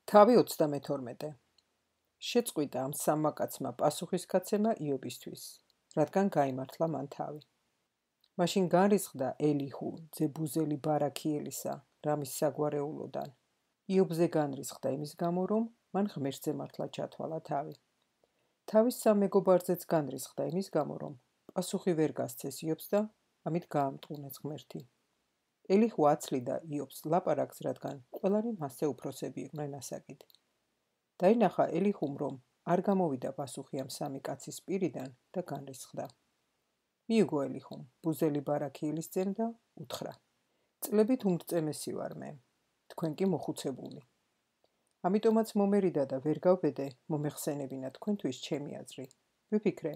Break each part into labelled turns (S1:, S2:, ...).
S1: თავი 32. შეწყვიტა ამ სამმა კაცმა პასუხისგაცემა იობისთვის, რადგან გაიმართლა მან თავი. მაშინ განრისხდა ელიჰუ ძე ბუზელი ბარაქიელისა, რამის საგვარეულოდან. იობზე განრისხდა იმის გამო, რომ მან ღმერთზე მართლა ჩათვალა თავი. თავის სამ მეგობარზეც განრისხდა იმის გამო, რომ პასუხი ვერ გასცეს იობს და ამით გაამტყუნეს ღმერთი. ელიჰუ აცლიდა იობს ლაპარაკს, რადგან ყველანი მასზე უფროსები იყვნენ ასაკით. დაინახა ელიჰუმ, რომ არ გამოვიდა პასუხი ამ სამი კაცის პირიდან და განრისხდა. მიიგო ელიჰუმ ბუზელი ბარაქიელის ძემ და უთხრა: წლებით უმრწემესი ვარ მე, თქვენ კი მოხუცებული. ამიტომაც მომერიდა და ვერ გავბედე მომეხსენებინა თქვენთვის ჩემი აზრი. ვიფიქრე,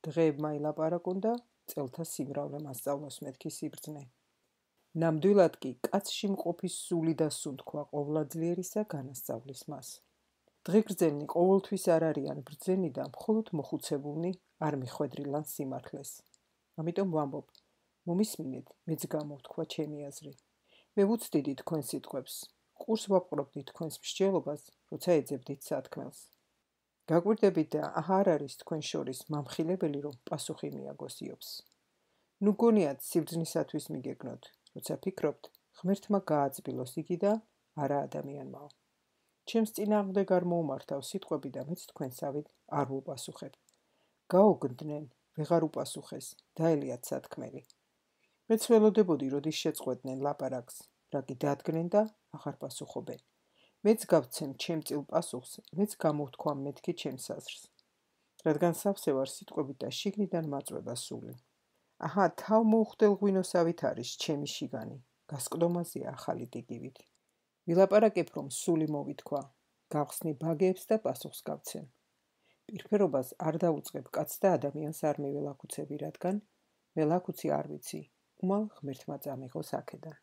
S1: დღეებმა ილაპარაკონ და წელთა სიმრავლე მასწავლოს მეთქი სიბრძნე. ნამდვილად კი კაცში მყოფის სული და სუნთქვა ყოვლადძლიერისა განასწავლის მას. დღეგრძელნი ყოველთვის არ არიან ბრძენი და მხოლოდ მოხუცებულნი არ მიხვედრილან სიმართლეს. ამიტომ ვამბობ, მომისმინეთ, მეც გამოვთქვა ჩემი აზრი. მე ვუცდიდი თქვენ სიტყვებს, ყურს ვაპყრობდი თქვენს მსჯელობას, როცა ეძებდით სათქმელს. გაკვირდებით და არ არის თქვენ შორის მამხილებელი, რომ პასუხი მიაგოს იობს. ნუ გონიათ სიბრძნისათვის მიგეგნოთ, როცა ფიქრობთ, ღმერთმა გააძბილოს იგი და არა ადამიანმაო. ჩემს წინააღმდეგ არ მოუმართავ სიტყვები და მეც თქვენსავით არ ვუპასუხებ. გაოგნდნენ, ვეღარ უპასუხეს, დაელიათ სათქმელი. მეც ველოდებოდი, როდის შეწყვეტნენ ლაპარაკს, რა კი დადგნენ და აღარ პასუხობენ. მეც გავცემ ჩემ წილ პასუხს, მეც გამოვთქვამ მეთქი ჩემს აზრს. რადგან სავსე ვარ სიტყვებით და შიგნიდან მაწვება სული. აჰა, თავ მოუხდელ ღვინოსავით არის ჩემი შიგანი, გასკდომაზეა ახალი ტიგივით. ვილაპარაკებ, რომ სული მოვითქვა, გავხსნი ბაგეებს და პასუხს გავცემ. პირფერობას არ დავუწყებ კაცს და ადამიანს არ მიველაქუცები, რადგან ველაქუცი არ ვიცი, უმალ ღმერთმა წამიღოს აქედან.